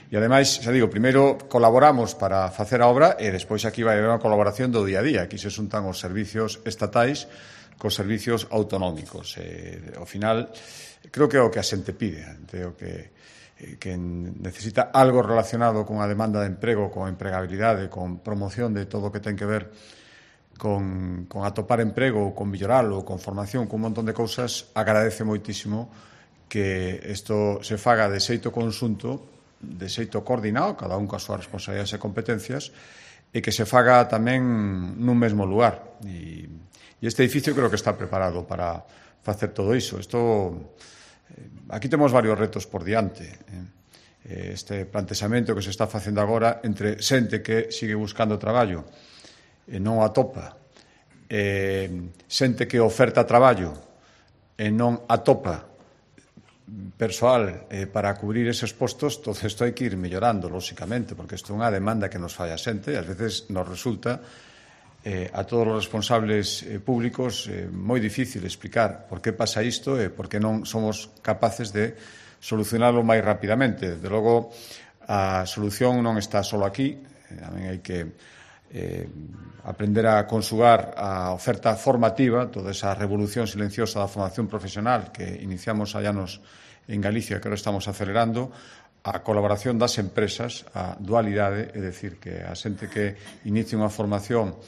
E, ademais, xa digo, primeiro colaboramos para facer a obra e despois aquí vai haber unha colaboración do día a día. Aquí se xuntan os servicios estatais cos servicios autonómicos. Ao final, creo que é o que a xente pide, creo que necesita algo relacionado con a demanda de emprego, con empregabilidade, con promoción de todo o que ten que ver con atopar emprego, con melloralo, con formación, con un montón de cousas. Agradece moitísimo que isto se faga de xeito conxunto, de xeito coordinado, cada un coas súas responsabilidades e competencias, e que se faga tamén nun mesmo lugar. E este edificio creo que está preparado para facer todo iso. Aquí temos varios retos por diante. Este plantexamento que se está facendo agora entre xente que sigue buscando traballo e non o atopa, xente que oferta traballo e non atopa persoal para cubrir eses postos. Todo isto hai que ir mellorando, lóxicamente, porque isto é unha demanda que nos fai a xente e ás veces nos resulta a todos os responsables públicos moi difícil explicar por que pasa isto e por que non somos capaces de solucionarlo máis rapidamente. Desde logo, a solución non está só aquí, tamén hai que aprender a conxugar a oferta formativa, toda esa revolución silenciosa da formación profesional que iniciamos hai anos en Galicia, que ahora estamos acelerando, a colaboración das empresas, a dualidade, é dicir, que a xente que inicia unha formación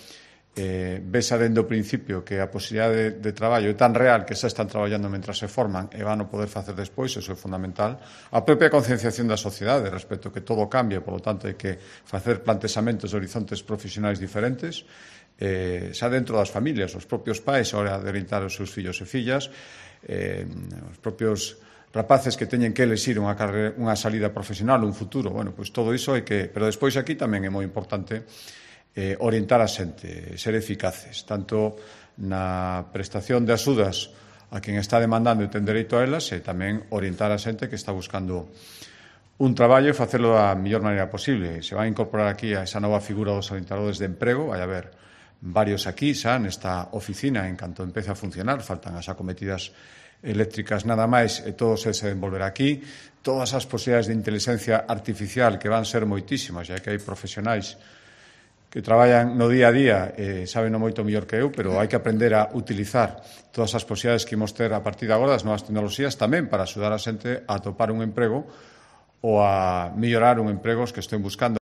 vesa dende o principio que a posibilidade de traballo é tan real que xa están traballando mentras se forman e van a poder facer despois, eso é fundamental. A propia concienciación da sociedade respecto que todo cambia, polo tanto hai que facer plantexamentos de horizontes profesionais diferentes, xa dentro das familias, os propios pais a hora de orientar os seus fillos e fillas, os propios rapaces que teñen que elexir unha salida profesional, un futuro. Bueno, pois todo iso hai que... Pero despois aquí tamén é moi importante orientar a xente, ser eficaces, tanto na prestación de axudas a quen está demandando e ten dereito a elas, e tamén orientar a xente que está buscando un traballo e facelo da mellor maneira posible. Se vai incorporar aquí a esa nova figura dos orientadores de emprego, vai haber varios aquí xa nesta oficina en canto empece a funcionar, faltan as acometidas eléctricas nada máis e todo se desenvolverá aquí. Todas as posibilidades de inteligencia artificial que van ser moitísimas, xa que hai profesionais que traballan no día a día e saben moito mellor que eu, pero hai que aprender a utilizar todas as posibilidades que imos ter a partir de agora das novas tecnoloxías tamén para axudar a xente a atopar un emprego ou a mellorar un emprego que estén buscando.